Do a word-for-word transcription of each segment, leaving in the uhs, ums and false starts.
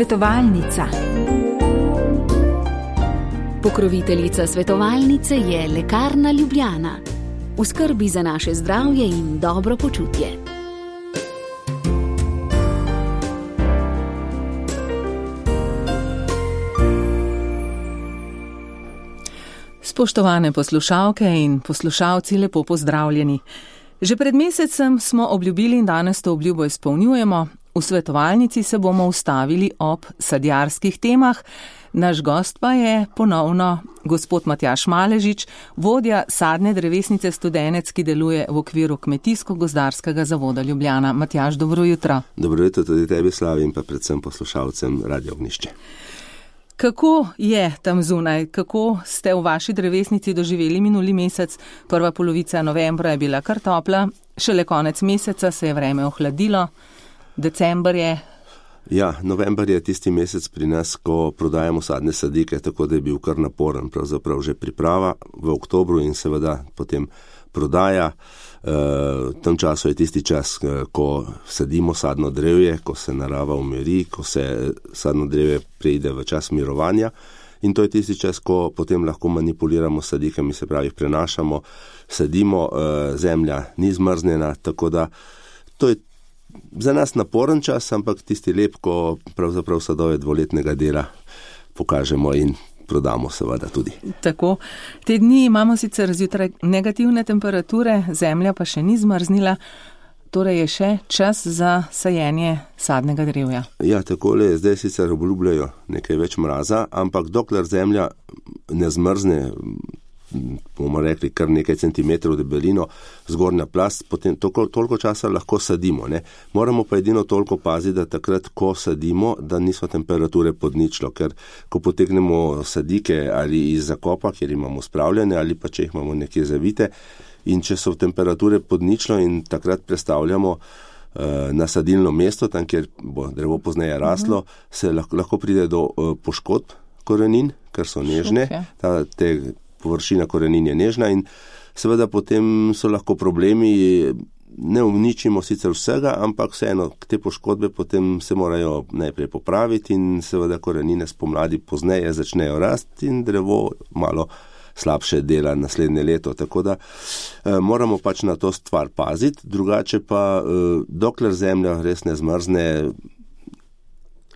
Svetovalnica. Pokroviteljica svetovalnice je Lekarna Ljubljana. V skrbi za naše zdravje in dobro počutje. Spoštovane poslušalke in poslušalci, lepo pozdravljeni. Že pred mesecem smo obljubili in danes to obljubo izpolnjujemo. V svetovalnici se bomo ustavili ob sadjarskih temah. Naš gost pa je ponovno gospod Matjaž Maležič, vodja sadne drevesnice Studenec, ki deluje v okviru Kmetijsko-gozdarskega zavoda Ljubljana. Matjaž, dobro jutro. Dobro jutro tudi tebi, Slavi, in pa predvsem poslušalcem Radio Ognjišče. Kako je tam zunaj? Kako ste v vaši drevesnici doživeli minuli mesec? Prva polovica novembra je bila kar topla, šele konec meseca se je vreme ohladilo, december je. Ja, november je tisti mesec pri nas, ko prodajamo sadne sadike, tako da je bil kar naporen, pravzaprav že priprava v oktobru in seveda potem prodaja. V tem času je tisti čas, ko sadimo sadno drevje, ko se narava umiri, ko se sadno drevje preide v čas mirovanja, in to je tisti čas, ko potem lahko manipuliramo sadikami, se pravi prenašamo, sadimo, zemlja ni zmrznjena, tako da to je za nas naporen čas, ampak tisti lep, ko pravzaprav sadove dvoletnega dela pokažemo in prodamo seveda tudi. Tako. Te dni imamo sicer zjutraj negativne temperature, zemlja pa še ni zmrznila, torej je še čas za sajenje sadnega drevja. Ja, takole, zdaj sicer obljubljajo nekaj več mraza, ampak dokler zemlja ne zmrzne, bomo rekli kar nekaj centimetrov debelino, zgornja plast, potem toliko, toliko časa lahko sadimo. Ne? Moramo pa edino toliko paziti, da takrat, ko sadimo, da niso temperature pod ničlo, ker ko potegnemo sadike ali iz zakopa, kjer imamo spravljene, ali pa če jih imamo nekje zavite, in če so temperature pod ničlo in takrat prestavljamo uh, na sadilno mesto, tam, kjer bo drevo pozneje raslo, uh-huh. se lahko, lahko pride do uh, poškodb korenin, ker so nežne, ta, te površina korenin je nežna in seveda potem so lahko problemi, ne uničimo sicer vsega, ampak vseeno te poškodbe potem se morajo najprej popraviti in seveda korenine spomladi pozneje začnejo rasti in drevo malo slabše dela naslednje leto, tako da eh, moramo pač na to stvar paziti, drugače pa eh, dokler zemlja res ne zmrzne,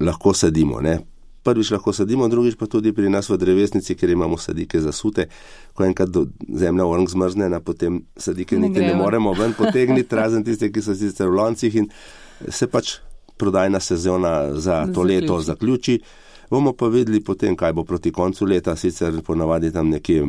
lahko sadimo, ne. Prvič lahko sadimo, drugič pa tudi pri nas v drevesnici, ker imamo sadike zasute. Ko enkrat zemlja vrnk zmrznena, potem sadike niti ne moremo ven potegniti, razen tiste, ki so sicer v loncih, in se pač prodajna sezona za to leto zaključi. Bomo pa videli potem, kaj bo proti koncu leta, sicer ponavadi tam nekje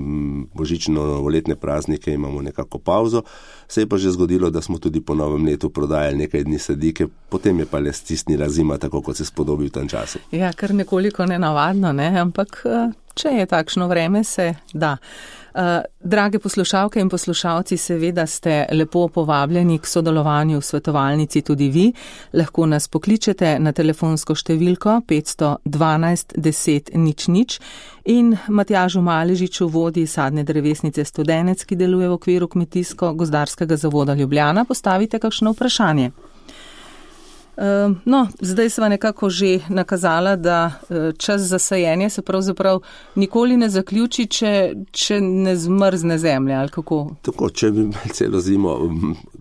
božično-novoletne praznike imamo nekako pauzo. Se je pa že zgodilo, da smo tudi po novem letu prodajali nekaj dni sadike, potem je pa le stisnila zima, tako kot se spodobi v tem času. Ja, kar nekoliko nenavadno, ne? Ampak če je takšno vreme, se da. Drage poslušalke in poslušalci, seveda ste lepo povabljeni k sodelovanju v svetovalnici tudi vi. Lahko nas pokličete na telefonsko številko petsto dvanajst deset nič nič in Matjažu Maležiču, vodji sadne drevesnice Studenec, ki deluje v okviru Kmetijsko-gozdarskega zavoda Ljubljana, postavite kakšno vprašanje. No, zdaj sva nekako že nakazala, da čas za sajenje se pravzaprav nikoli ne zaključi, če, če ne zmrzne zemlja, ali kako? Tako, če bi imeli celo zimo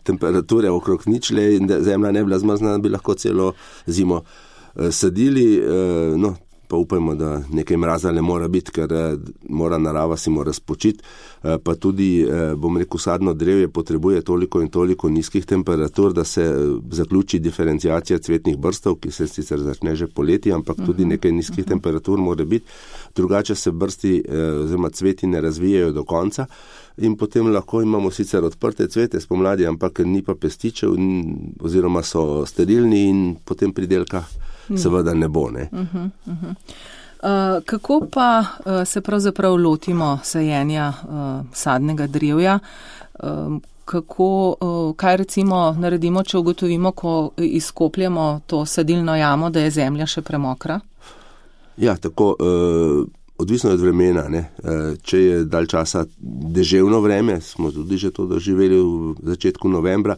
temperature okrog ničle in zemlja ne bila zmrzna, bi lahko celo zimo sadili, no, pa upajmo, da nekaj mraza ne mora biti, ker mora narava si mora spočiti, pa tudi, bom rekel, sadno drevje potrebuje toliko in toliko nizkih temperatur, da se zaključi diferenciacija cvetnih brstov, ki se sicer začne že poleti, ampak tudi nekaj nizkih temperatur mora biti, drugače se brsti oziroma cveti ne razvijajo do konca in potem lahko imamo sicer odprte cvete spomladi, ampak ni pa pestičev oziroma so sterilni in potem pridelka seveda ne bo, ne. Uh-huh, uh-huh. Uh, kako pa uh, se pravzaprav lotimo sajenja uh, sadnega drevja? Uh, kako, uh, kaj recimo naredimo, če ugotovimo, ko izkopljemo to sadilno jamo, da je zemlja še premokra? Ja, tako, uh, odvisno od vremena, ne. Uh, če je dalj časa deževno vreme, smo tudi že to doživeli v začetku novembra,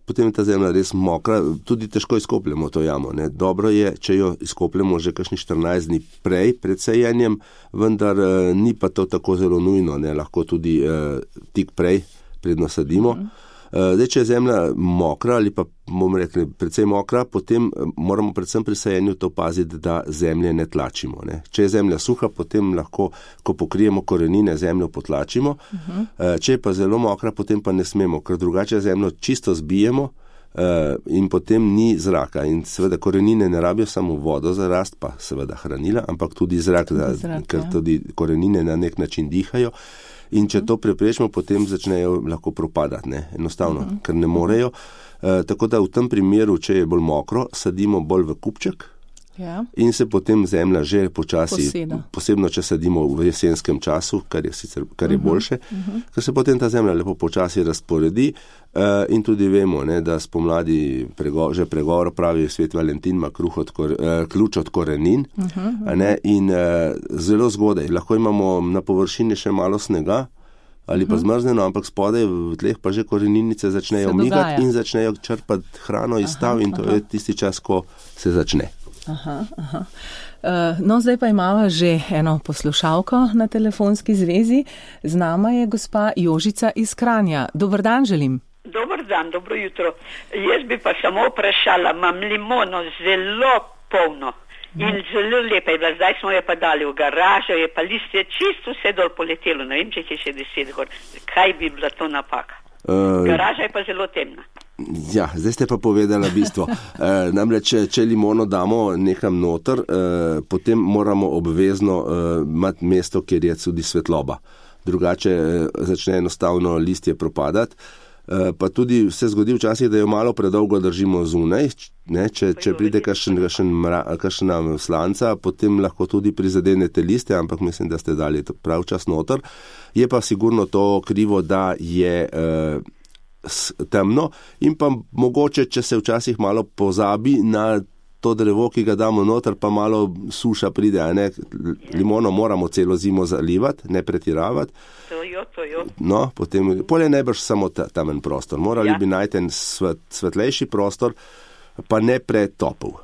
potem je ta zemlja res mokra, tudi težko izkopljemo to jamo. Ne. Dobro je, če jo izkopljemo že kakšni štirinajst dni prej, pred sejenjem, vendar eh, ni pa to tako zelo nujno, ne. Lahko tudi eh, tik prej, predno sadimo. Mm. Zdaj, če je zemlja mokra ali pa bomo rekli precej mokra, potem moramo predvsem pri sajenju to paziti, da zemlje ne tlačimo. Ne. Če je zemlja suha, potem lahko, ko pokrijemo korenine, zemljo potlačimo. Uh-huh. Če je pa zelo mokra, potem pa ne smemo, ker drugače zemljo čisto zbijemo in potem ni zraka. In seveda korenine ne rabijo samo vodo za rast, pa seveda hranila, ampak tudi zrak, da, zrak ker ja. Tudi korenine na nek način dihajo. In če to preprečimo, potem začnejo lahko propadati, ne, enostavno, uh-huh. ker ne morejo. E, tako da v tem primeru, če je bolj mokro, sadimo bolj v kupček ja. In se potem zemlja že počasi, Poseda. Posebno če sadimo v jesenskem času, kar je, sicer, kar je uh-huh. boljše, uh-huh. ker se potem ta zemlja lepo počasi razporedi e, in tudi vemo, ne, da spomladi prego, že pregovor pravi Svet Valentin ima kruh od kor, e, ključ od korenin uh-huh. ne, in e, zelo zgodaj. Lahko imamo na površini še malo snega, ali pa zmrzneno, ampak spodaj v tleh pa že koreninice začnejo migati in začnejo črpati hrano iz stav in to aha. Je tisti čas, ko se začne. Aha, aha. Uh, no, zdaj pa imamo že eno poslušalko na telefonski zvezi. Z nama je gospa Jožica iz Kranja. Dober dan želim. Dober dan, dobro jutro. Jaz bi pa samo vprašala, imam limono zelo polno. In zelo lepa je bila, zdaj smo jo pa dali v garažo, je pa listje čisto vse dol poletelo, ne vem, če je še deset gor. Kaj bi bila to napaka? Uh, Garaža je pa zelo temna. Ja, zdaj ste pa povedala bistvo. uh, namreč, če, če limono damo nekam noter, uh, potem moramo obvezno uh, imati mesto, kjer je tudi svetloba. Drugače uh, začne enostavno listje propadati. Uh, pa tudi se zgodi včasih, da jo malo predolgo držimo zunaj, ne, če, če pride kakšna slanca, potem lahko tudi prizadenete liste, ampak mislim, da ste dali prav čas noter. Je pa sigurno to krivo, da je uh, s, temno in pa mogoče, če se včasih malo pozabi na to drevo, ki ga damo noter, pa malo suša pride, a ne, limono moramo celo zimo zalivati, ne pretiravati. To jo, to jo. No, potem, polje ne boš samo tamen prostor, morali ja. Bi najti en svet, svetlejši prostor, pa ne pretopel.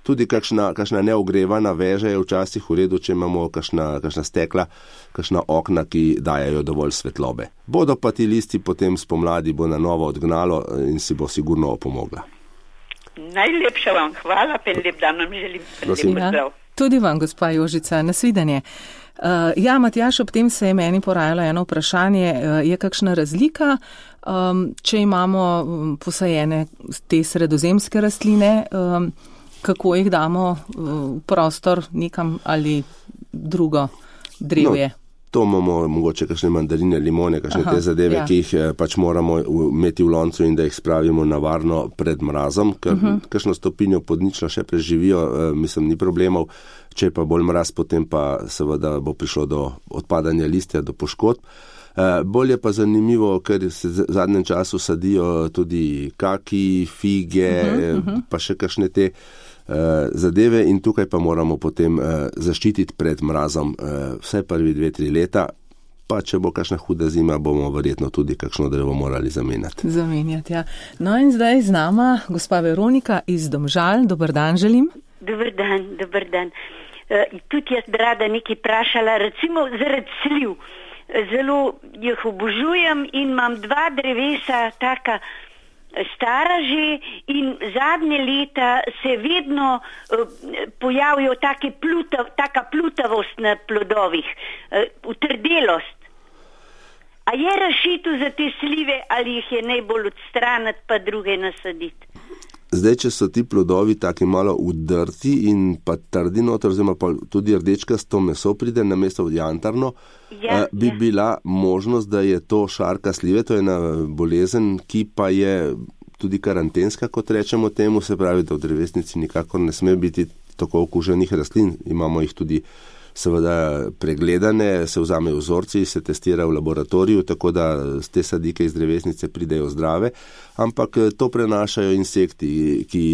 Tudi kakšna, kakšna neogrevana veža je včasih v redu, če imamo kakšna, kakšna stekla, kakšna okna, ki dajajo dovolj svetlobe. Bodo pa ti listi potem spomladi bo na novo odgnalo in si bo sigurno opomogla. Najlepša vam hvala, pa lep dan vam želim. Lep ja, tudi vam, gospa Jožica, nasvidenje. Uh, ja, Matjaž, ob tem se je meni porajalo eno vprašanje, uh, je kakšna razlika, um, če imamo um, posajene te sredozemske rastline, um, kako jih damo uh, v prostor nekam ali drugo drevje? No. To imamo mogoče kakšne mandarine, limone, kakšne Aha, te zadeve, ja. Ki jih pač moramo imeti v loncu in da jih spravimo na varno pred mrazom, ker uh-huh. kakšno stopinjo pod ničlo še preživijo, mislim, ni problemov. Če pa bolj mraz, potem pa seveda bo prišlo do odpadanja listja, do poškodb. Bolj je pa zanimivo, ker se v zadnjem času sadijo tudi kaki, fige, uh-huh, uh-huh. pa še kakšne te zadeve in tukaj pa moramo potem uh, zaščititi pred mrazom uh, vse prvi dve, tri leta, pa če bo kakšna huda zima, bomo verjetno tudi kakšno drevo morali zamenjati. Zamenjati, ja. No in zdaj z nama gospa Veronika iz Domžal. Dober dan želim. Dober dan, dober dan. Uh, tudi jaz bi rada nekaj vprašala, recimo zaradi sliv. Zelo jih obožujem in imam dva drevesa taka stara že in zadnje leta se vedno uh, pojavijo take pluta, taka plutavost na plodovih, uh, utrdelost. A je rešitev za te slive ali jih je najbolj odstraniti pa druge nasaditi? Zdaj, če so ti plodovi taki malo udrti in pa trdi noter, oziroma pa tudi rdečkasto meso pride na mesto jantarno, ja, eh, bi ja. Bila možnost, da je to šarka slive, to je ena bolezen, ki pa je tudi karantenska, kot rečemo temu, se pravi, da v drevesnici nikakor ne sme biti tako okuženih rastlin. Imamo jih tudi seveda pregledane, se vzamejo vzorci, se testira v laboratoriju, tako da te sadike iz drevesnice pridejo zdrave, ampak to prenašajo insekti, ki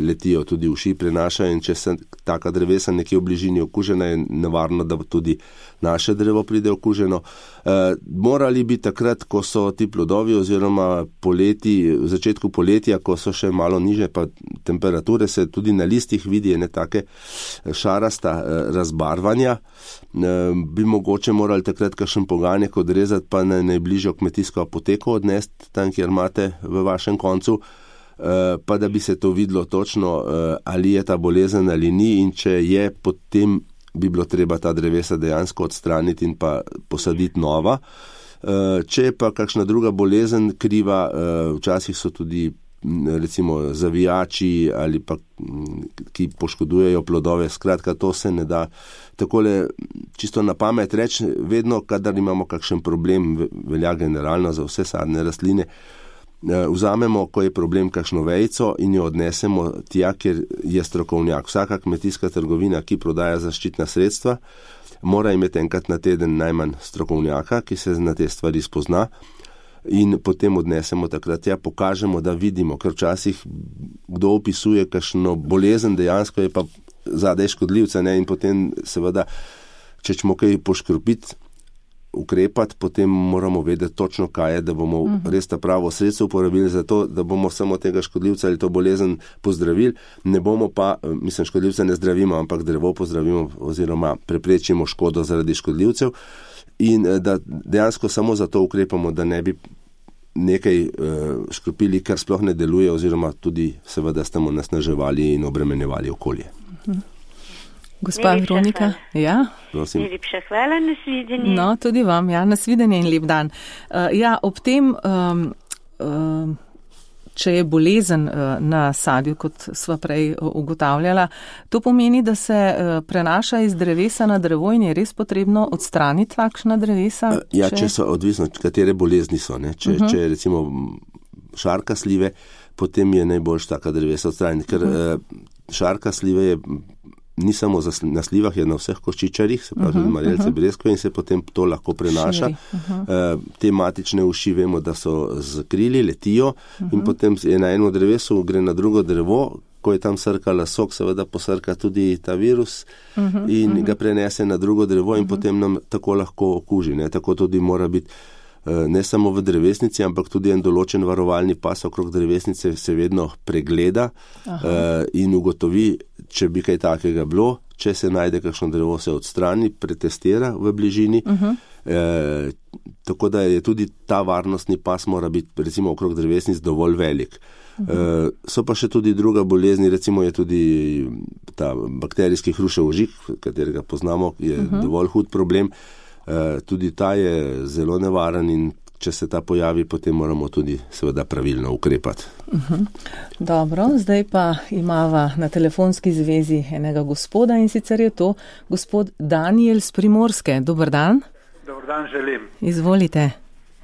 letijo tudi uši, prenašajo in če se taka drevesa nekje v bližini okužena, je nevarno, da tudi naše drevo pride okuženo. E, morali bi takrat, ko so ti plodovi oziroma poleti, v začetku poletja, ko so še malo niže, pa temperature se tudi na listih vidi, ne take šarasta e, razbarvanja, e, bi mogoče morali takrat kakšen poganjek odrezati, pa na najbližjo kmetijsko apoteko odnesti, tam, kjer imate v vašem koncu, pa da bi se to videlo točno, ali je ta bolezen ali ni, in če je, potem bi bilo treba ta drevesa dejansko odstraniti in pa posaditi nova. Če je pa kakšna druga bolezen kriva, včasih so tudi recimo zavijači ali pa ki poškodujejo plodove, skratka to se ne da takole čisto na pamet reči, vedno kadar imamo kakšen problem, velja generalno za vse sadne rastline, vzamemo, ko je problem, kakšno vejico in jo odnesemo tja, kjer je strokovnjak. Vsaka kmetijska trgovina, ki prodaja zaščitna sredstva, mora imeti enkrat na teden najmanj strokovnjaka, ki se na te stvari spozna, in potem odnesemo takrat tja, pokažemo, da vidimo, ker včasih kdo opisuje kakšno bolezen, dejansko je pa zadaj škodljivca, ne, in potem seveda, če ćemo kaj poškropiti, ukrepati, potem moramo vedeti točno, kaj je, da bomo uh-huh. res ta pravo sredstvo uporabili za to, da bomo samo tega škodljivca ali to bolezen pozdravili, ne bomo pa, mislim, škodljivca ne zdravimo, ampak drevo pozdravimo oziroma preprečimo škodo zaradi škodljivcev, in da dejansko samo za to ukrepamo, da ne bi nekaj uh, škropili, kar sploh ne deluje, oziroma tudi seveda s tem nasnaževali in obremenjevali okolje. Uh-huh. Gospa Veronika, ja. Najlepša hvala, nasvidenje. No, tudi vam, ja, nasvidenje in lep dan. Uh, ja, ob tem, um, um, če je bolezen uh, na sadju, kot sva prej ugotavljala, to pomeni, da se uh, prenaša iz drevesa na drevo in je res potrebno odstraniti takšna drevesa? Uh, ja, če, če so odvisno, katere bolezni so, ne? Če, uh-huh. če recimo šarka slive, potem je najboljš taka drevesa odstraniti, ker uh-huh. uh, šarka slive je ni samo na slivah, je na vseh koščičarjih, se pravi tudi uh-huh, marelce, uh-huh. breskve, in se potem to lahko prenaša. Uh-huh. Uh, te matične uši vemo, da so z krili, letijo uh-huh. in potem je na eno drevesu, gre na drugo drevo, ko je tam srkala sok, seveda posrka tudi ta virus uh-huh, in uh-huh. ga prenese na drugo drevo in uh-huh. potem nam tako lahko okuži. Ne? Tako tudi mora biti ne samo v drevesnici, ampak tudi en določen varovalni pas okrog drevesnice se vedno pregleda uh, in ugotovi, če bi kaj takega bilo, če se najde kakšno drevo, se odstrani, pretestira v bližini. Uh-huh. E, tako da je tudi ta varnostni pas mora biti recimo okrog drevesnic dovolj velik. Uh-huh. E, so pa še tudi druga bolezni, recimo je tudi ta bakterijski hrušev ožig, katerega poznamo, je uh-huh. dovolj hud problem. Uh, tudi ta je zelo nevaren in če se ta pojavi, potem moramo tudi seveda pravilno ukrepati. Uh-huh. Dobro, zdaj pa imava na telefonski zvezi enega gospoda, in sicer je to gospod Daniel z Primorske. Dober dan. Dober dan želim. Izvolite.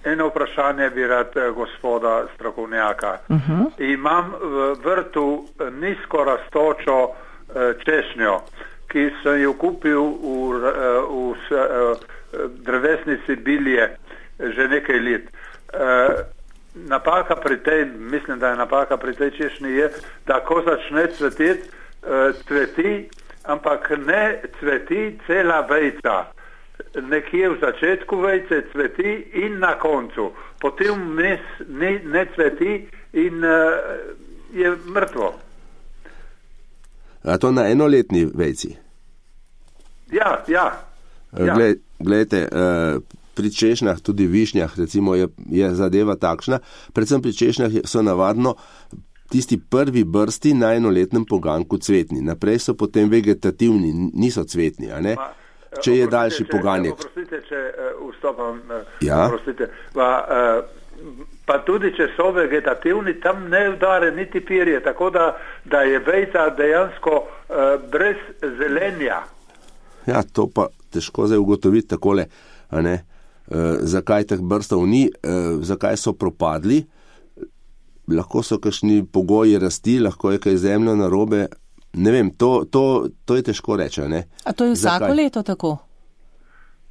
Eno vprašanje bi rad gospoda strokovnjaka. Uh-huh. Imam v vrtu nizko rastočo češnjo, ki sem jo kupil v, v, v drevesnici Bilje že nekaj let. E, napaka pri tej, mislim, da je napaka pri tej češnji je, da ko začne cveteti, e, cveti, ampak ne cveti cela vejca. Nekje v začetku vejce cveti in na koncu. Potem ne, ne cveti in e, je mrtvo. A to na enoletni vejci? Ja, ja. ja. Gled, gledajte, pri češnjah, tudi višnjah, recimo je, je zadeva takšna, predvsem pri češnjah so navadno tisti prvi brsti na enoletnem poganku cvetni. Naprej so potem vegetativni, niso cvetni, a ne? Ma, če je daljši če, poganjek. Oprostite, če uh, vstopam. Uh, ja. Oprostite. Pa, uh, pa tudi, če so vegetativni, tam ne udare niti pirje, tako da, da je vejca dejansko uh, brez zelenja. Ja, to pa težko zdaj ugotoviti takole, a ne, e, zakaj teh brstov ni, e, zakaj so propadli, lahko so kakšni pogoji rasti, lahko je kaj zemljo narobe, ne vem, to, to, to je težko reči, ne. A to je vsako zakaj? Leto tako?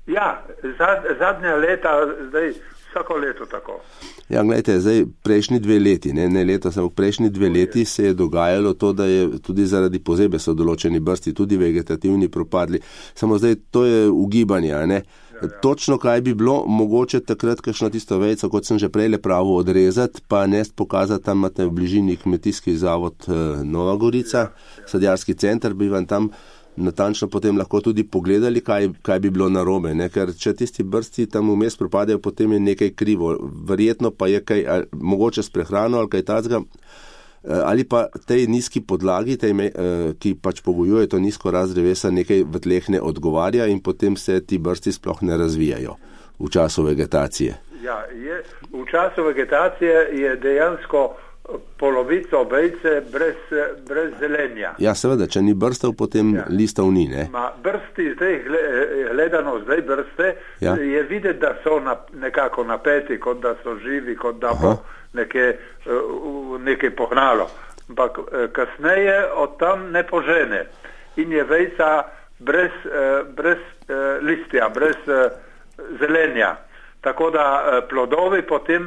Ja, zad, zadnja leta, zdaj Vsako leto tako. Ja, gledajte, zdaj prejšnji dve leti, ne, ne leto, samo prejšnji dve leti se je dogajalo to, da je tudi zaradi pozebe so določeni brsti, tudi vegetativni propadli. Samo zdaj to je ugibanje, ne. Ja, ja. Točno kaj bi bilo, mogoče takrat kakšno tisto vejco, kot sem že prej le pravo, odrezati, pa nest pokazati, tam imate v bližini kmetijski zavod Nova Gorica, ja, ja. Sadjarski center, bi vam tam natančno potem lahko tudi pogledali, kaj, kaj bi bilo narobe, ne? Ker če tisti brsti tam vmes propadajo, potem je nekaj krivo. Verjetno pa je kaj, ali, mogoče s prehrano ali kaj tacga, ali pa tej nizki podlagi, tej, ki pač pogojuje to nizko rast drevesa, nekaj v tleh ne odgovarja in potem se ti brsti sploh ne razvijajo v času vegetacije. Ja, je, v času vegetacije je dejansko polovico vejce brez, brez zelenja. Ja, seveda, če ni brstov, potem ja. Listov ni, ne? Ma brsti, zdaj gledano, zdaj brste, ja. Je videti, da so na, nekako napeti, kot da so živi, kot da bo nekaj, nekaj pohnalo. Ampak kasneje od tam ne požene. In je vejca brez, brez listja, brez zelenja. Tako da plodovi potem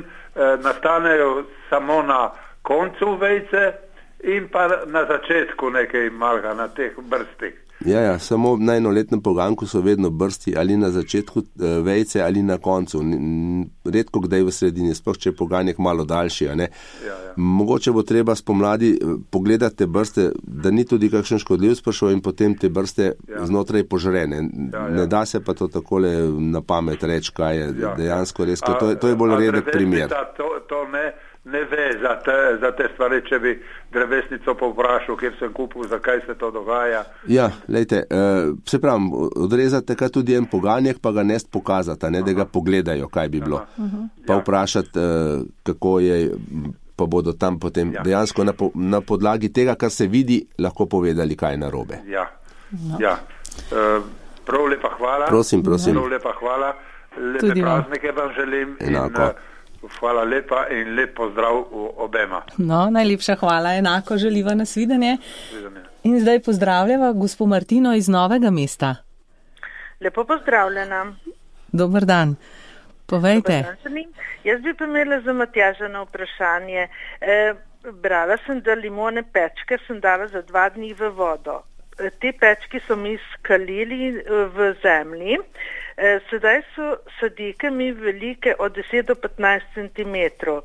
nastanejo samo na koncu vejce in pa na začetku nekaj malga na teh brstih. Ja, ja, samo na enoletnem poganku so vedno brsti ali na začetku vejce ali na koncu. Redko kdaj v sredini, sploh če je poganjek malo daljši. A ne? Ja, ja. Mogoče bo treba spomladi pogledati te brste, da ni tudi kakšen škodljiv sprašov in potem te brste ja. Znotraj požrene. Ja, ja. Ne da se pa to takole na pamet reči, kaj je ja, dejansko res. A, to, to je bolj redek primer. To, to ne... ne ve za te, za te stvari, če bi drevesnico povprašal, kjer sem kupil, zakaj se to dogaja. Ja, lejte, uh, se pravim, odrezate kaj tudi en poganjek, pa ga nest pokazata, ne, da ga pogledajo, kaj bi bilo. Aha. Pa vprašati, uh, kako je, pa bodo tam potem ja. Dejansko na, po, na podlagi tega, kar se vidi, lahko povedali, kaj je narobe. Ja, no. Ja. Uh, prav lepa hvala. Prosim, prosim. Prav lepa hvala. Lepe tudi praznike vam želim. Enako. In, uh, Hvala lepa in lep pozdrav obema. No, najlepša hvala, enako želiva nasvidenje. In zdaj pozdravljava gospo Martino iz Novega mesta. Lepo pozdravljena. Dobar dan. Povejte. Dobar dan. Jaz bi pa imela za Matjaža na vprašanje. E, brala sem, da limone pečke sem dala za dva dni v vodo. E, te pečke so mi skalili v zemlji. Sedaj so sadike mi velike od deset do petnajst centimetrov.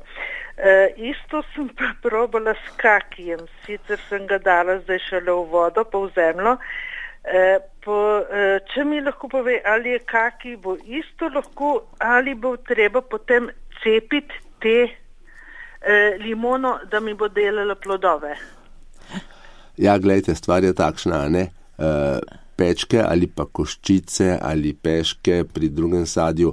E, isto sem pa probala s kakijem, sicer sem ga dala zdaj šele v vodo, pa v zemljo. E, po, e, če mi lahko pove, ali je kaki bo isto lahko, ali bo treba potem cepiti te e, limono, da mi bo delala plodove. Ja, gledajte, stvar je takšna, ne? Uh... Pečke ali pa koščice ali peške pri drugem sadju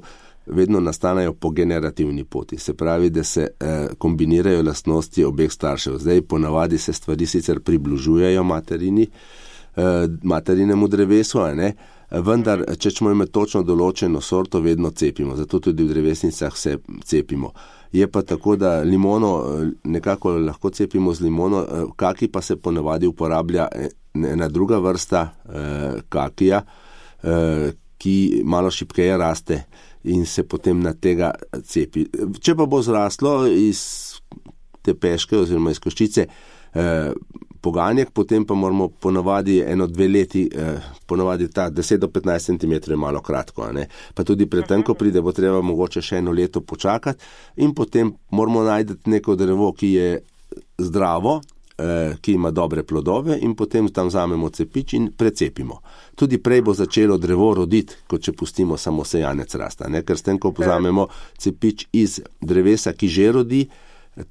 vedno nastanejo po generativni poti. Se pravi, da se eh, kombinirajo lastnosti obeh staršev. Zdaj ponavadi se stvari sicer približujejo materini, eh, materinemu drevesu, a ne? Vendar, če ćemo imeti točno določeno sorto, vedno cepimo. Zato tudi v drevesnicah se cepimo. Je pa tako, da limono nekako lahko cepimo z limono, kaki pa se ponavadi uporablja ena druga vrsta eh, kakija, eh, ki malo šibkeje raste in se potem na tega cepi. Če pa bo zraslo iz te peške oziroma iz koščice eh, poganjek, potem pa moramo ponavadi eno dve leti, eh, ponavadi ta deset do petnajst centimetrov je malo kratko, ne? Pa tudi pretenko pride, bo treba mogoče še eno leto počakati in potem moramo najti neko drevo, ki je zdravo, eh, ki ima dobre plodove in potem tam vzamemo cepič in precepimo. Tudi prej bo začelo drevo roditi, kot če pustimo samo sejanec rasta, ne? Ker s tem, ko vzamemo cepič iz drevesa, ki že rodi,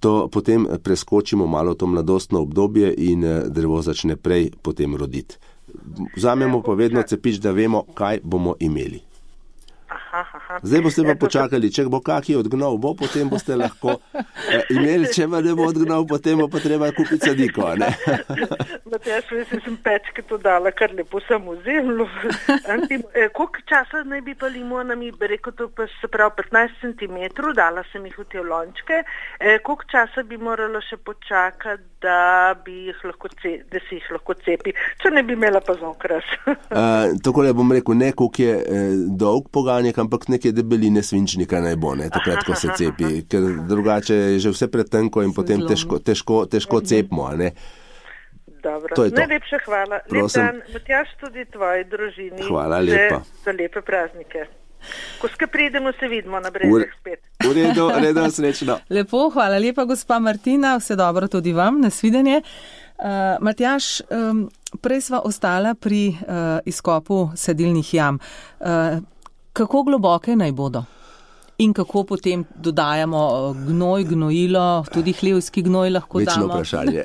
to potem preskočimo malo to mladostno obdobje in drevo začne prej potem roditi. Vzamemo pa vedno cepič, da vemo, kaj bomo imeli. Aha, aha. Zdaj boste pa počakali, če bo kaki odgnal, bo, potem boste lahko eh, imeli, če pa ne bo odgnal, potem bo pa treba kupiti sadiko, ne? Matjaž, res sem pečke to dala, kar lepo sem v zemlju. eh, koliko časa naj bi pa limonami, bi rekel to pa se pravi petnajst centimetrov, dala sem jih v te lončke, eh, koliko časa bi morala še počakati, da, bi jih lahko ce, da si jih lahko cepi, če ne bi imela pa zokras. uh, Tako le bom rekel, ne koliko je eh, dolg poganjek, ampak neke debeline svinčnika naj bo, ne, takrat, ko se cepi, ker drugače je že vse pretenko in potem težko, težko, težko cepimo, a ne. Dobro, najlepša hvala. Lep dan, Matjaž, tudi tvoji družini. Hvala lepa. Za lepe praznike. Ko skaj pridemo, se vidimo na Brezjah spet. V redu, redo, srečno. Lepo, hvala lepa, gospa Martina, vse dobro tudi vam, nasvidenje. Uh, Matjaž, um, prej sva ostala pri uh, izkopu sedilnih jam. Uh, kako globoke naj bodo? In kako potem dodajamo gnoj, gnojilo, tudi hlevski gnoj lahko Večno damo? Večno vprašanje.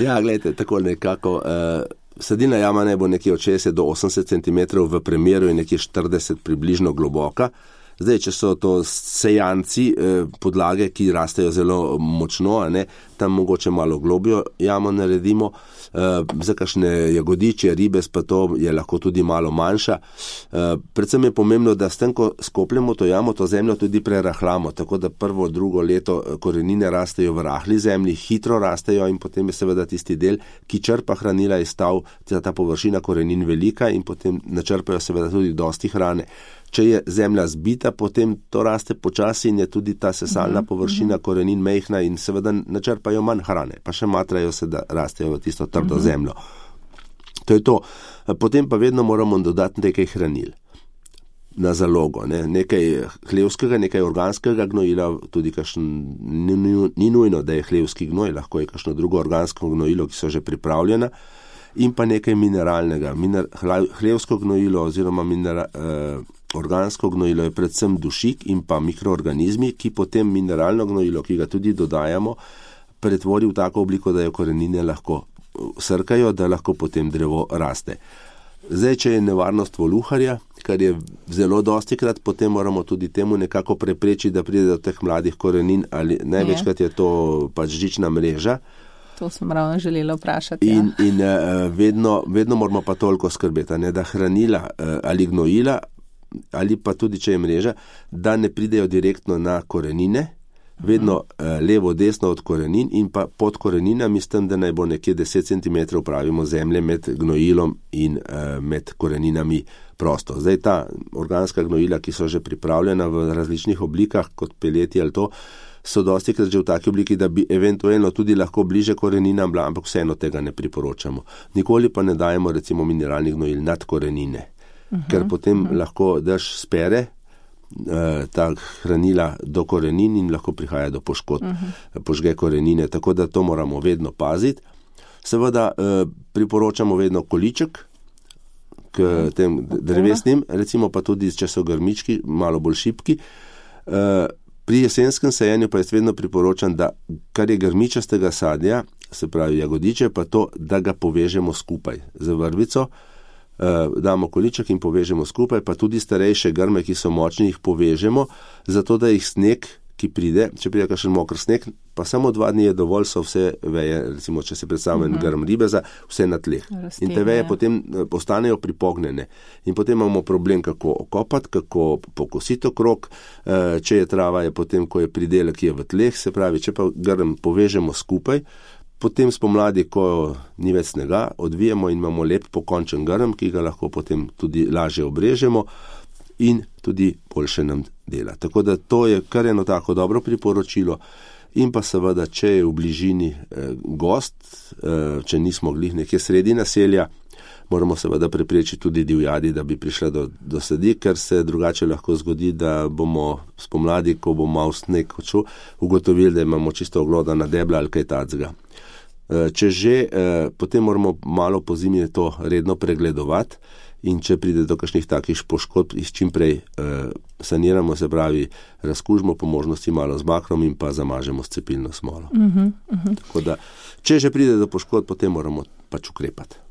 Ja, gledajte, tako nekako, uh, sedilna jama naj bo nekje od šestdeset do osemdeset centimetrov, v premeru je nekje štirideset približno globoka. Zdaj, če so to sejanci eh, podlage, ki rastejo zelo močno, a ne, tam mogoče malo globjo jamo naredimo, eh, za kakšne jagodiče, ribes pa to je lahko tudi malo manjša. Eh, predvsem je pomembno, da s tem, ko skopljemo to jamo, to zemljo tudi prerahlamo, tako da prvo, drugo leto korenine rastejo v rahli zemlji, hitro rastejo in potem je seveda tisti del, ki črpa hranila iz stav, ta površina korenin velika in potem načrpajo seveda tudi dosti hrane. Če je zemlja zbita, potem to raste počasi in je tudi ta sesalna površina korenin mejhna in seveda načrpajo manj hrane, pa še matrajo se, da rastejo v tisto trdo zemljo. To je to. Potem pa vedno moramo dodati nekaj hranil na zalogo, ne? Nekaj hlevskega, nekaj organskega gnojila, tudi kakšen, ni, ni nujno, da je hlevski gnoj, lahko je kakšno drugo organsko gnojilo, ki so že pripravljena, in pa nekaj mineralnega. Miner, hlevsko gnojilo oziroma minera, eh, organsko gnojilo je predvsem dušik in pa mikroorganizmi, ki potem mineralno gnojilo, ki ga tudi dodajamo, pretvori v tako obliko, da jo korenine lahko srkajo, da lahko potem drevo raste. Zdaj, če je nevarnost voluharja, kar je zelo dosti krat, potem moramo tudi temu nekako preprečiti, da pride do teh mladih korenin, ali največkrat je to pač žična mreža. To sem ravno želela vprašati. In, ja. in uh, vedno, vedno moramo pa toliko skrbeti, ne, da hranila uh, ali gnojila, ali pa tudi, če je mreža, da ne pridejo direktno na korenine, vedno uh, levo, desno od korenin in pa pod koreninami, s tem, da naj bo nekje deset centimetrov pravimo zemlje med gnojilom in uh, med koreninami prosto. Zdaj ta organska gnojila, ki so že pripravljena v različnih oblikah, kot peleti ali to, so dosti krat že v taki obliki, da bi eventualno tudi lahko bliže koreninam bila, ampak vseeno tega ne priporočamo. Nikoli pa ne dajemo recimo mineralnih gnojil nad korenine, uh-huh, ker potem uh-huh. lahko dež spere uh, ta hranila do korenin in lahko prihaja do poškodb, uh-huh. požge korenine, tako da to moramo vedno paziti. Seveda uh, priporočamo vedno količek k uh-huh. tem drevesnim, recimo pa tudi, če so grmički, malo bolj šibki. Uh, Pri jesenskem sajenju pa jaz vedno priporočam, da kar je grmičastega sadja, se pravi jagodiče, pa to, da ga povežemo skupaj z vrvico, eh, damo količek in povežemo skupaj, pa tudi starejše grme, ki so močni, jih povežemo, zato da jih sneg, ki pride, če pride kakšen mokr sneg, pa samo dva dni je dovolj, so vse veje, recimo, če se predstavlja uh-huh. grm ribeza, vse na tleh. Rastine, in te veje ja. potem postanejo pripognjene. In potem imamo problem, kako okopati, kako pokositi okrog, če je trava, je potem, ko je pridelek, ki je v tleh, se pravi, če pa grm povežemo skupaj, potem spomladi, ko ni več snega, odvijemo in imamo lep pokončen grm, ki ga lahko potem tudi lažje obrežemo in tudi boljše nam dela. Tako da to je kar eno tako dobro priporočilo. In pa seveda, če je v bližini eh, gost, eh, če nismo glih nekje sredi naselja, moramo seveda preprečiti tudi divjadi, da bi prišla do, do sedi, ker se drugače lahko zgodi, da bomo spomladi, ko bomo malo sneg odšel, ugotovili, da imamo čisto oglodana debla ali kaj tacga. Eh, če že, eh, potem moramo malo po zimi to redno pregledovati, in če pride do kakšnih takih poškodb, jih čim prej eh, saniramo, se pravi, razkužimo po možnosti malo z bakrom in pa zamažemo s cepilno smolo. Uh-huh, uh-huh. Tako da, če že pride do poškodb, potem moramo pač ukrepati.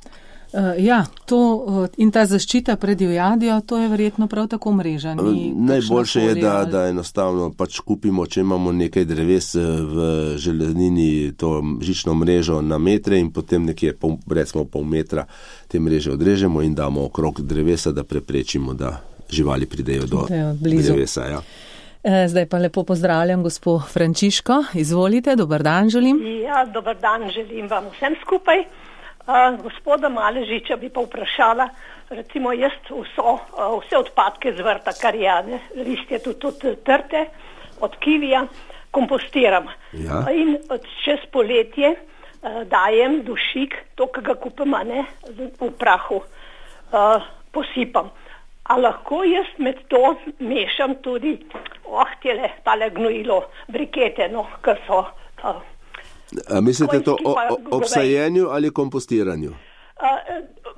Uh, ja, to uh, in ta zaščita pred divjadjo, to je verjetno prav tako mreža. Najboljše je, da, da enostavno pač kupimo, če imamo nekaj dreves v železnini, to žično mrežo na metre in potem nekje pol, recimo pol metra te mreže odrežemo in damo okrog drevesa, da preprečimo, da živali pridejo do drevesa. Ja. Zdaj pa lepo pozdravljam gospo Frančiško. Izvolite, dober dan želim. Ja, dober dan želim vam vsem skupaj. Uh, gospoda Maležiča bi pa vprašala, recimo jaz vso, uh, vse odpadke z vrta, karijane, listje tudi, tudi trte, od kivija, kompostiram. Ja. In čez poletje uh, dajem dušik, to, ki ga kupim, ne, v prahu, uh, posipam. A lahko jaz med to mešam tudi, oh, tele, tale gnojilo, brikete, no, kar so... Uh, A mislite to o, o, ob sajenju ali kompostiranju? Uh,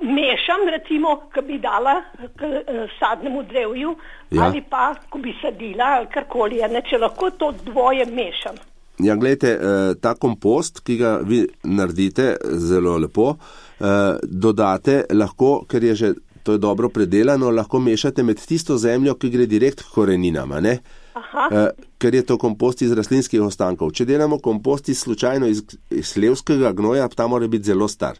mešam, recimo, ko bi dala k uh, sadnemu drevju, ja. Ali pa, ko bi sadila, ali karkoli, ne, če lahko to dvoje mešam. Ja, gledajte, uh, ta kompost, ki ga vi naredite zelo lepo, uh, dodate lahko, ker je že, to je dobro predelano, lahko mešate med tisto zemljo, ki gre direkt k koreninama, ne? Aha. Ker je to kompost iz rastlinskih ostankov. Če delamo kompost iz slučajno iz, iz hlevskega gnoja, ta mora biti zelo star,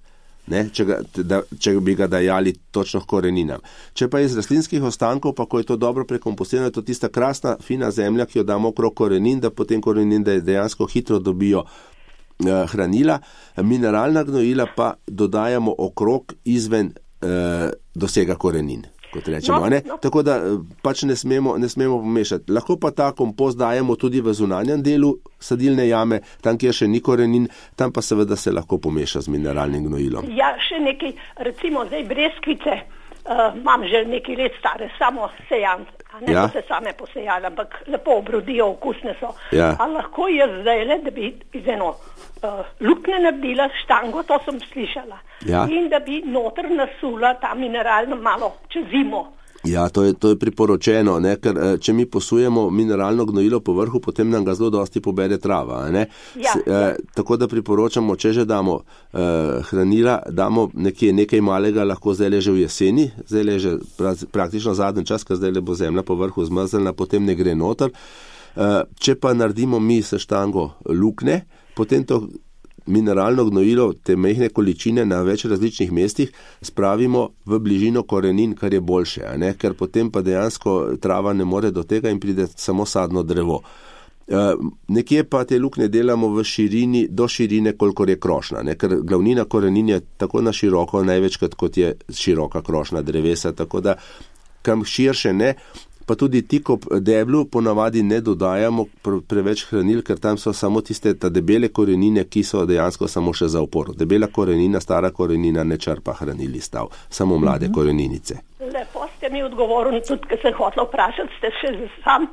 ne? Če, ga, da, če bi ga dajali točno k koreninam. Če pa iz rastlinskih ostankov, pa ko je to dobro prekompostirano, je to tista krasna, fina zemlja, ki jo damo okrog korenin, da potem korenin da dejansko hitro dobijo eh, hranila. Mineralna gnojila pa dodajamo okrog izven eh, dosega korenin. Kot rečemo, no, no. Tako da pač ne smemo, ne smemo pomešati. Lahko pa ta kompost dajemo tudi v zunanjem delu sadilne jame, tam, kjer še ni korenin, tam pa seveda se lahko pomeša z mineralnim gnojilom. Ja, še nekaj, recimo zdaj breskvice, uh, imam že nekaj let stare, samo sejan, a ne ja. So se same posejali, ampak lepo obrodijo, okusne so. Ja. A lahko jaz zdaj le, da bi iz eno uh, lukne naredila štango, to sem slišala. Ja. In da bi noter nasula ta mineralno malo čez zimo. Ja, to je, to je priporočeno, ne? Ker če mi posujemo mineralno gnojilo po vrhu, potem nam ga zelo dosti pobere trava. Ne? Ja, S, ja. Eh, tako da priporočamo, če že damo eh, hranila, damo nekje nekaj malega, lahko zdaj že v jeseni, zdaj že praktično zadnji čas, ker zdaj bo zemlja po vrhu zmrznjena, potem ne gre noter. Eh, če pa naredimo mi se štango lukne, potem to mineralno gnojilo, te mehne količine na več različnih mestih spravimo v bližino korenin, kar je boljše, a ne? Ker potem pa dejansko trava ne more do tega in pride samo sadno drevo. E, nekje pa te lukne delamo v širini, do širine, kolikor je krošna, ne? Ker glavnina korenin je tako na široko, največkrat kot je široka krošna drevesa, tako da kam širše ne. Pa tudi tik ob deblu ponavadi ne dodajamo preveč hranil, ker tam so samo tiste ta debele korenine, ki so dejansko samo še za oporo. Debela korenina, stara korenina ne črpa hranil iz stav, samo mlade mm-hmm. koreninice. Lepo ste mi odgovorili, tudi ker sem hotela vprašati, ste še sam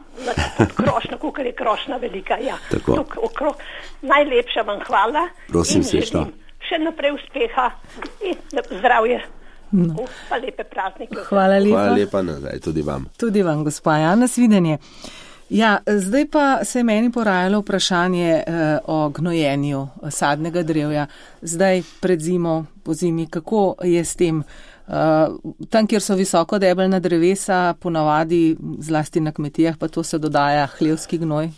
krošna, kukor je krošna velika. Ja. Tuk, okrog. Najlepša vam hvala. Prosim in se šta. Še naprej uspeha in zdravje. No. Pa lepe praznike. Hvala lepa. Hvala lepa nazaj, tudi vam. Tudi vam, gospa, ja, nasvidenje. Ja, zdaj pa se je meni porajalo vprašanje eh, o gnojenju sadnega drevja. Zdaj pred zimo, po zimi, kako je s tem? Uh, tam, kjer so visoko debelna drevesa, ponavadi zlasti na kmetijah, pa to se dodaja hlevski gnoj.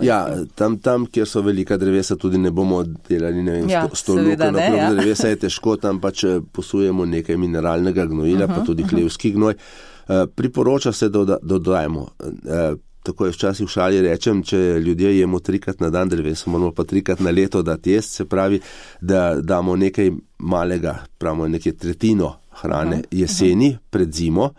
Ja, tam, tam, kjer so velika drevesa, tudi ne bomo delali, ne vem, ja, sto luken okrog ja. drevesa, je težko, tam pač posujemo nekaj mineralnega gnojila, uh-huh, pa tudi uh-huh. hlevski gnoj. Uh, priporoča se, da dodajemo. Uh, tako je včasih v šali rečem, če ljudje jemo trikrat na dan drevesa, moramo pa trikrat na leto dati jest, se pravi, da damo nekaj malega, pravimo nekaj tretjino hrane uh-huh, jeseni uh-huh. pred zimo.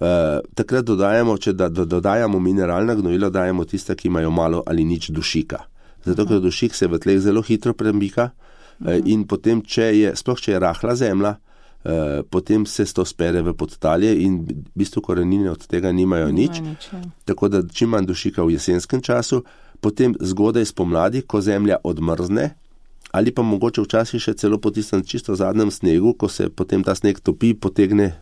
Uh, takrat dodajamo, če da, do, dodajamo mineralna gnojila, dajemo tista, ki imajo malo ali nič dušika. Zato, ker dušik se v tleh zelo hitro premika uh, in potem, če je, sploh če je rahla zemlja, uh, potem se to spere v podtalje in v bistvu korenine od tega nimajo nič. nič Tako da čim manj dušika v jesenskem času, potem zgodaj spomladi, ko zemlja odmrzne, ali pa mogoče včasih še celo po tistem čisto zadnjem snegu, ko se potem ta sneg topi, potegne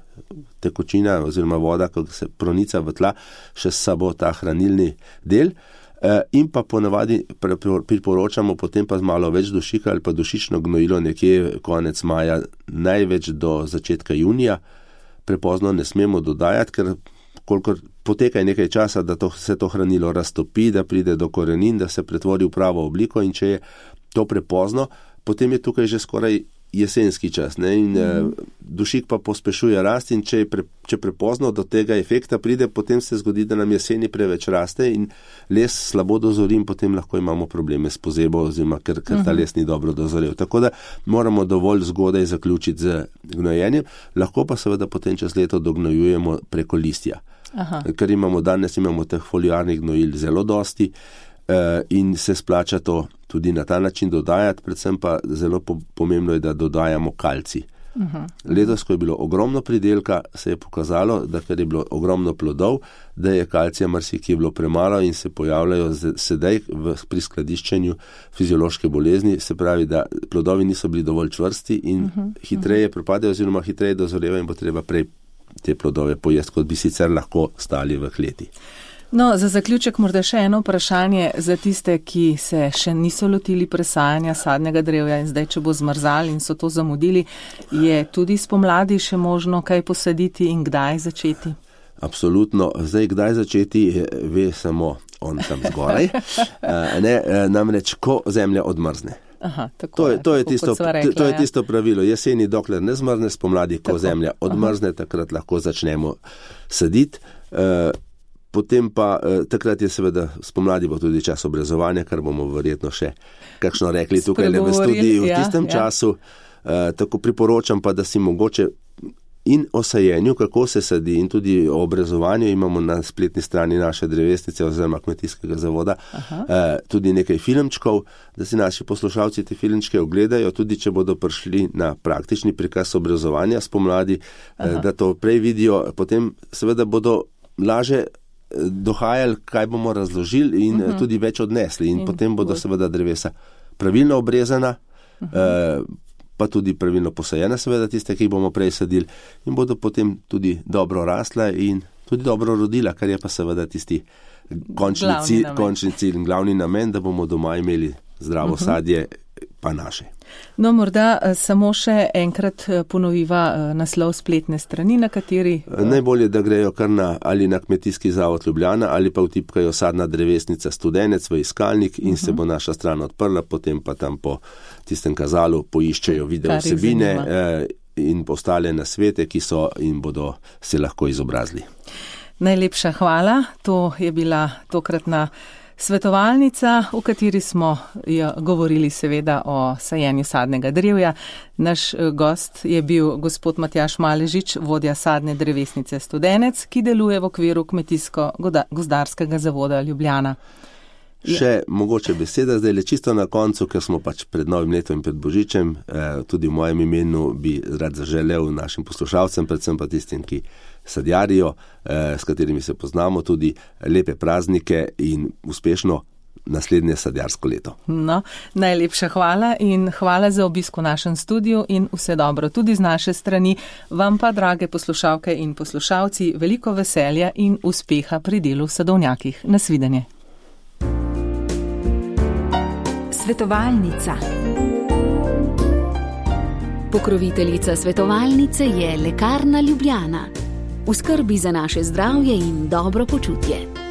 tekočina oziroma voda, ko se pronica v tla, še s sabo ta hranilni del. In pa ponavadi priporočamo potem pa malo več dušika ali pa dušično gnojilo nekje konec maja, največ do začetka junija. Prepozno ne smemo dodajati, ker kolikor poteka nekaj časa, da to, se to hranilo raztopi, da pride do korenin, da se pretvori v pravo obliko, in če je to prepozno, potem je tukaj že skoraj jesenski čas, ne? In mm. dušik pa pospešuje rast, in če, je pre, če prepozno do tega efekta pride, potem se zgodi, da nam jeseni preveč raste in les slabo dozori in potem lahko imamo probleme s pozebo, oziroma ker, ker ta les ni dobro dozorel. Tako da moramo dovolj zgodaj zaključiti z gnojenjem, lahko pa seveda potem čez leto dognojujemo preko listja. Aha. Ker imamo danes imamo teh foliarnih gnojil zelo dosti, in se splača to tudi na ta način dodajati, predvsem pa zelo pomembno je, da dodajamo kalcij. Uh-huh. Letos, ko je bilo ogromno pridelka, se je pokazalo, da ker je bilo ogromno plodov, da je kalcija marsikje bilo premalo in se pojavljajo sedaj v, pri skladiščenju fiziološke bolezni, se pravi, da plodovi niso bili dovolj čvrsti in uh-huh. hitreje propadajo oziroma hitreje dozorevajo in bo treba prej te plodove pojesti, kot bi sicer lahko stali v kleti. No, za zaključek morda še eno vprašanje za tiste, ki se še niso lotili presajanja sadnega drevja in zdaj, če bo zmrzal in so to zamudili, je tudi spomladi še možno kaj posaditi in kdaj začeti? Absolutno. Zdaj, kdaj začeti, ve samo on tam zgoraj. ne, namreč, ko zemlja odmrzne. Aha, tako to, je, je, to, je tisto, rekla, to je ja. tisto pravilo. Jeseni, dokler ne zmrzne, spomladi, ko tako. Zemlja odmrzne, aha. takrat lahko začnemo saditi. Uh, Potem pa eh, takrat je seveda spomladi bo tudi čas obrezovanja, kar bomo verjetno še kakšno rekli tukaj le v studiju v tistem ja, času. Ja. Eh, tako priporočam pa, da si mogoče in o sajenju, kako se sadi, in tudi o obrezovanju imamo na spletni strani naše drevesnice oziroma kmetijskega zavoda eh, tudi nekaj filmčkov, da si naši poslušalci te filmčke ogledajo, tudi če bodo prišli na praktični prikaz obrezovanja spomladi, eh, da to prej vidijo, potem seveda bodo laže dohajali, kaj bomo razložili in uh-huh. tudi več odnesli in, in potem bodo bolj. Seveda drevesa pravilno obrezana, uh-huh. eh, pa tudi pravilno posajena, seveda tiste, ki jih bomo prej sadili, in bodo potem tudi dobro rasla in tudi dobro rodila, kar je pa seveda tisti končni cilj, končni cilj in glavni namen, da bomo doma imeli zdravo uh-huh. sadje, pa naše. No, morda samo še enkrat ponoviva naslov spletne strani, na kateri... Najbolje, da grejo kar na, ali na Kmetijski zavod Ljubljana, ali pa vtipkajo sadna drevesnica Studenec v iskalnik in uh-huh. se bo naša stran odprla, potem pa tam po tistem kazalu poiščejo video vsebine eh, in ostale nasvete, ki so in bodo se lahko izobrazili. Najlepša hvala. To je bila tokratna svetovalnica, v kateri smo govorili seveda o sajenju sadnega drevja. Naš gost je bil gospod Matjaž Maležič, vodja sadne drevesnice Studenec, ki deluje v okviru Kmetijsko-gozdarskega zavoda Ljubljana. Še mogoče beseda zdaj le čisto na koncu, ker smo pač pred novim letom in pred Božičem, eh, tudi v mojem imenu bi rad zaželel našim poslušalcem, predvsem pa tistim, ki sadjarijo, eh, s katerimi se poznamo, tudi lepe praznike in uspešno naslednje sadjarsko leto. No, najlepša hvala in hvala za obisk v našem studiu in vse dobro tudi z naše strani. Vam pa, drage poslušalke in poslušalci, veliko veselja in uspeha pri delu v sadovnjakih. Nasvidenje. Svetovalnica. Pokroviteljica svetovalnice je Lekarna Ljubljana. V skrbi za naše zdravje in dobro počutje.